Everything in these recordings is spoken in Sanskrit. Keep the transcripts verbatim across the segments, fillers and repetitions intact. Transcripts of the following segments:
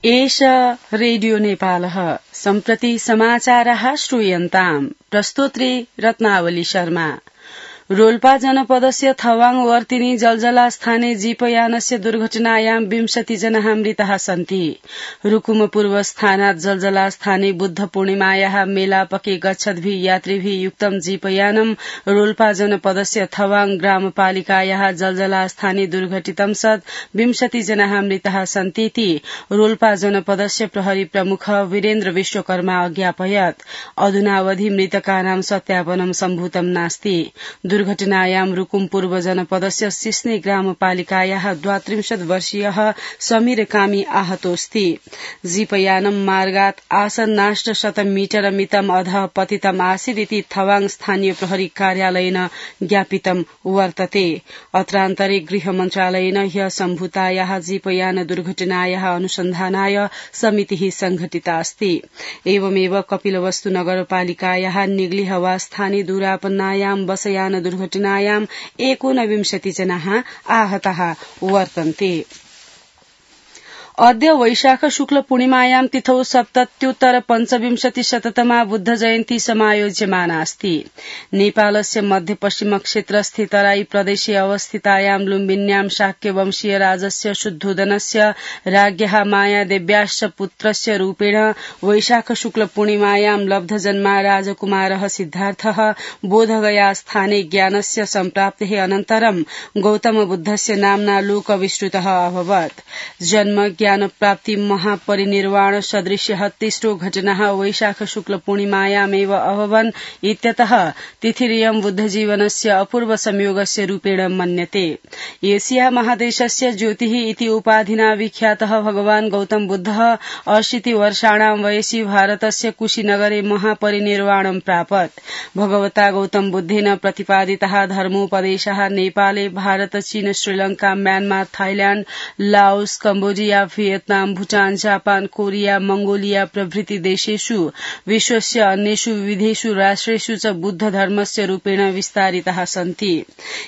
एष रेडियो नेपालः सम्प्रति समाचारः श्रूयन्ताम्। प्रस्तोत्री रत्नावली शर्मा। रोल्पा जनपदस्य थवाङ वर्तिनी जलजला स्थाने जीपयानस्य दुर्घटनायां विंशति जनाः मृताः सन्ति। रुकुम पूर्व स्थानात् जलजला स्थाने बुद्ध पूर्णिमायाः मेलापके गच्छद्भिः यात्रिभिः युक्तं जीपयानं रोल्पा जनपदस्य थवाङ ग्रामपालिकायाः जलजला स्थाने दुर्घटितं सत् विंशति जनाः मृताः सन्तीति रोल्पा जनपदस्य प्रहरी प्रमुख वीरेन्द्र विश्वकर्मा अज्ञापयत्। अधुनावधि मृतकानां सत्यापनं सम्भूतं नास्ति। दुर्घटनायां रुकुम पूर्व जनपदस्य सिस्ने ग्रामपालिकायाः द्वात्रिंशत् वर्षीयः समीर कामी आहतोऽस्ति। जीपयानं मार्गात् आसन्नाष्ट शतं मीटर मितम् अधः पतितम् आसीदिति थवाङ स्थानीय प्रहरी कार्यालयेन ज्ञापितं वर्तते। अत्रान्तरे गृह मन्त्रालयेन ह्य सम्भूतायाः जीपयान दुर्घटनायाः अनुसन्धानाय समितिः संघटिता अस्ति। एवमेव कपिलवस्तु नगरपालिकायाः निग्लिहवा स्थाने दुरापन्नायां बसयान दुर्घटनायां एकोनविंशति जनाः आहताः वर्तन्ते। अद्य वैशाख शुक्ल पूर्णिमायां तिथौ सप्तत्युत्तर पञ्चविंशति शततमा बुद्ध जयन्ती समायोज्यमाना अस्ति। नेपालस्य मध्यपश्चिम क्षेत्रस्थे तराई प्रदेशे अवस्थितायां लुम्बिन्यां शाक्यवंशीय राजस्य शुद्धोदनस्य राज्ञः मायादेव्याश्च पुत्रस्य रूपेण वैशाख शुक्ल पूर्णिमायां लब्धजन्मा राजकुमारः सिद्धार्थः बोधगया स्थाने ज्ञानस्य सम्प्राप्तेः अनन्तरं गौतम बुद्धस्य नाम्ना लोकविश्रुतः अभवत्। जन्म ज्ञान प्राप्ति महापरिनिर्वाण सदृश्यः तिस्रो घटनाः वैशाख शुक्ल पूर्णिमायामेव अभवन् इत्यतः तिथिरियं बुद्धजीवनस्य अपूर्व संयोगस्य रूपेण मन्यते। एशिया महादेशस्य ज्योतिः इति उपाधिना विख्यातः भगवान् गौतम बुद्धः अशीति वर्षाणां वयसि भारतस्य कुशीनगरे महापरिनिर्वाणं प्रापत्। भगवता गौतम बुद्धेन प्रतिपादितः धर्मोपदेशः नेपाले भारत चीन Sri Lanka Myanmar Thailand Laos Cambodia Vietnam Bhutan Japan Korea Mongolia प्रभृति देशेषु विश्वस्य अन्येषु विविधेषु राष्ट्रेषु च बुद्ध धर्मस्य रूपेण विस्तारिताः सन्ति।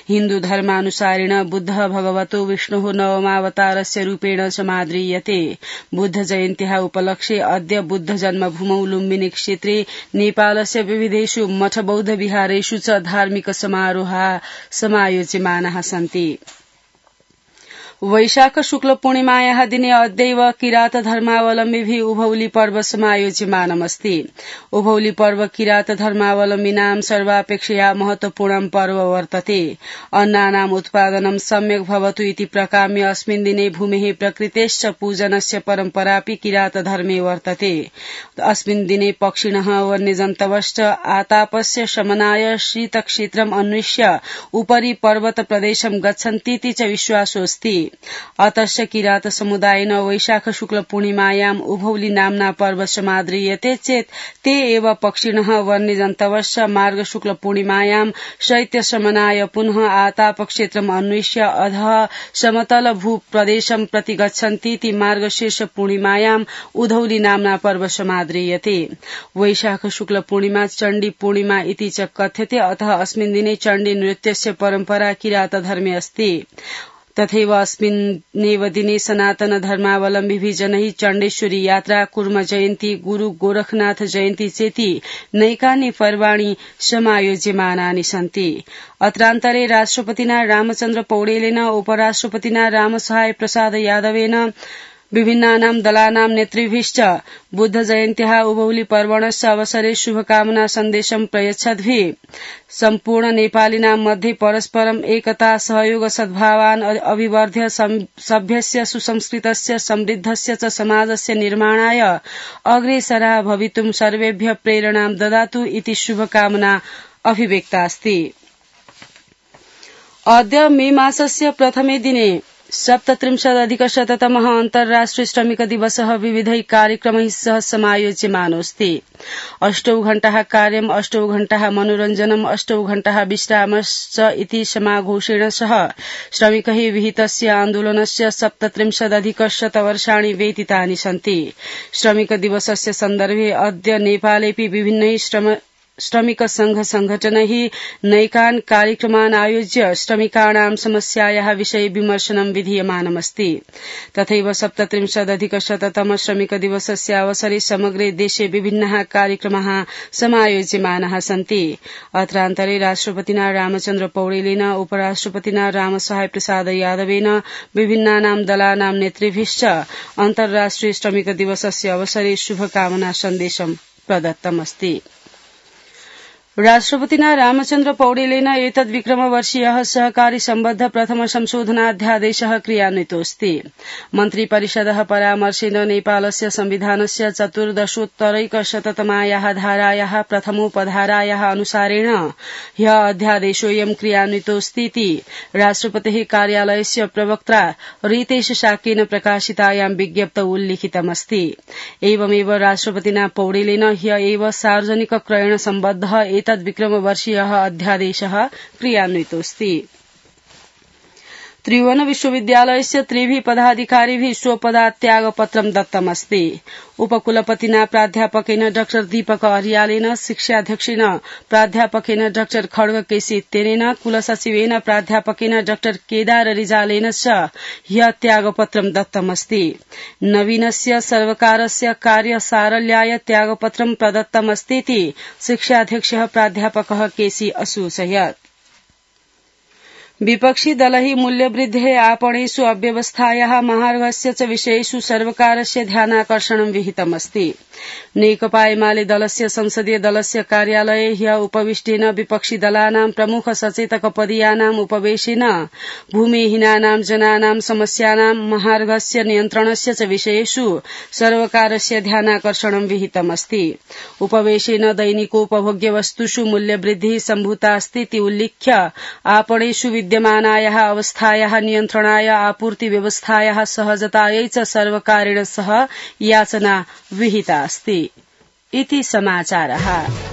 हिन्दू धर्मानुसारेण बुद्धः भगवतो विष्णोः नवमावतारस्य रूपेण समाद्रियते। बुद्ध जयन्त्याः उपलक्ष्ये अद्य बुद्ध जन्मभूमौ लुम्बिनी क्षेत्रे नेपालस्य विविधेषु मठ बौद्ध विहारेषु च धार्मिक समारोहाः समायोज्यमानाः सन्ति। वैशाख शुक्ल पूर्णिमायाः दिने अद्यैव किरात धर्मावलम्बिभिः उभौली पर्व समायोज्यमानमस्ति। उभौली पर्व किरात धर्मावलम्बिनां सर्वापेक्षया महत्वपूर्णं पर्व वर्तते। अन्नानाम् उत्पादनं सम्यक् भवतु इति प्रकाम्य अस्मिन् दिने भूमेः प्रकृतेश्च पूजनस्य परम्परापि किरात धर्मे वर्तते। अस्मिन् दिने पक्षिणः वन्यजन्तवश्च आतापस्य शमनाय शीतक्षेत्रम् अन्विष्य उपरि पर्वत प्रदेशं गच्छन्तीति च विश्वासोऽस्ति। अतश्च किरात समुदायेन वैशाख शुक्ल पूर्णिमायाम् उभौली नाम्ना पर्व समाद्रियते चेत् ते एव पक्षिणः वन्यजन्तवश्च मार्ग शुक्ल पूर्णिमायां शैत्यशमनाय पुनः आतापक्षेत्रम् अन्विष्य अधः समतल भूप्रदेशं प्रति गच्छन्तीति मार्गशीर्ष पूर्णिमायाम् उधौली नाम्ना पर्व समाद्रियते। वैशाख शुक्ल पूर्णिमा चण्डी पूर्णिमा इति च कथ्यते। अतः अस्मिन् दिने चण्डी नृत्यस्य परम्परा किरात धर्मे अस्ति। तथैव अस्मिन्नेव दिने सनातन धर्मावलम्बिभिः जनैः चण्डेश्वरी यात्रा कुर्म जयन्ती गुरु गोरखनाथ जयन्ती चेति नैकानि पर्वाणि समायोज्यमानानि सन्ति। अत्रान्तरे राष्ट्रपतिना रामचन्द्र पौडेलेन उपराष्ट्रपतिना रामसहाय प्रसाद यादवेन विभिन्नानां दलानां नेतृभिश्च बुद्ध जयन्त्याः उभौली पर्वणस्य अवसरे शुभकामना सन्देशं प्रयच्छद्भिः सम्पूर्ण नेपालिनां मध्ये परस्परम् एकता सहयोग सद्भावान् अभिवर्ध्य सभ्यस्य सुसंस्कृतस्य समृद्धस्य च समाजस्य निर्माणाय अग्रेसराः भवितुं सर्वेभ्यः प्रेरणां ददातु इति शुभकामना अभिव्यक्ता अस्ति। अद्य मे मासस्य प्रथमे दिने सप्तत्रिंशदधिकशततमः अन्तर्राष्ट्रिय श्रमिक दिवसः विविधैः कार्यक्रमैः सह समायोज्यमानोऽस्ति। अष्टौ घण्टाः कार्यम् अष्टौ घण्टाः मनोरञ्जनम् अष्टौ घण्टाः विश्रामश्च इति समाघोषेण सह श्रमिकैः विहितस्य आन्दोलनस्य सप्तत्रिंशदधिकशतवर्षाणि व्यतीतानि सन्ति। श्रमिक दिवसस्य सन्दर्भे अद्य नेपालेऽपि विभिन्नैः श्रम श्रमिक संघ संघटनैः नैकान् कार्यक्रमान् आयोज्य श्रमिकाणां समस्यायाः विषये विमर्शनं विधीयमानमस्ति। तथैव सप्तत्रिंशदधिकशततम श्रमिक दिवसस्य अवसरे समग्रे देशे विभिन्नाः कार्यक्रमाः समायोज्यमानाः सन्ति। अत्रान्तरे राष्ट्रपतिना रामचन्द्र पौडेलेन उपराष्ट्रपतिना रामसहाय प्रसाद यादवेन विभिन्नानां दलानां नेतृभिश्च अन्तर्राष्ट्रिय श्रमिक दिवसस्य अवसरे शुभकामना सन्देशं प्रदत्तमस्ति। राष्ट्रपतिना रामचन्द्र पौडेलेन एतद् विक्रमवर्षीयः सहकारी सम्बद्ध प्रथम संशोधनाध्यादेशः क्रियान्वितोऽस्ति। मन्त्रिपरिषदः परामर्शेन नेपालस्य संविधानस्य चतुर्दशोत्तरैकशततमायाः धारायाः प्रथमोपधारायाः अनुसारेण ह्यः अध्यादेशोऽयं क्रियान्वितोऽस्तीति राष्ट्रपतेः कार्यालयस्य प्रवक्त्रा रितेश शाक्येन प्रकाशितायां विज्ञप्तौ उल्लिखितमस्ति। एवमेव राष्ट्रपतिना पौडेलेन ह्यः एव सार्वजनिक क्रयण सम्बद्धः एतद् विक्रमवर्षीयः अध्यादेशः क्रियान्वितोऽस्ति। त्रिभुवन विश्वविद्यालयस्य त्रिभिः पदाधिकारिभिः स्वपदात्यागपत्रं दत्तमस्ति। उपकुलपतिना प्राध्यापकेन डाक्टर दीपक अर्यालेन, शिक्षाध्यक्षेन प्राध्यापकेन डाक्टर खड्ग केसी तेनेन, कुलसचिवेन प्राध्यापकेन डाक्टर केदार रिजालेन च ह्यः त्यागपत्रं दत्तमस्ति। नवीनस्य सर्वकारस्य कार्यसारल्याय त्यागपत्रं प्रदत्तमस्तीति शिक्षाध्यक्षः प्राध्यापकः केसी असूचयत्। विपक्षी दलैः मूल्यवृद्धेः आपणेषु अव्यवस्थायाः महार्घस्य च विषयेषु सर्वकारस्य ध्यानाकर्षणं विहितमस्ति। नेकपा एमाले दलस्य संसदीय दलस्य कार्यालये ह्यः उपविष्टेन विपक्षी दलानां प्रमुख सचेतक पदीयानाम् उपवेशेन भूमिहीनानां जनानां समस्यानां महार्घस्य नियन्त्रणस्य च विषयेषु सर्वकारस्य ध्यानाकर्षणं विहितमस्ति। उपवेशेन दैनिकोपभोग्य वस्तुषु मूल्यवृद्धिः सम्भूतास्तीति उल्लिख्य आपणेषु विद्यमानायाः अवस्थायाः नियन्त्रणाय आपूर्ति व्यवस्थायाः सहजतायै च सर्वकारेण सह याचना विहिता अस्ति। इति समाचारः।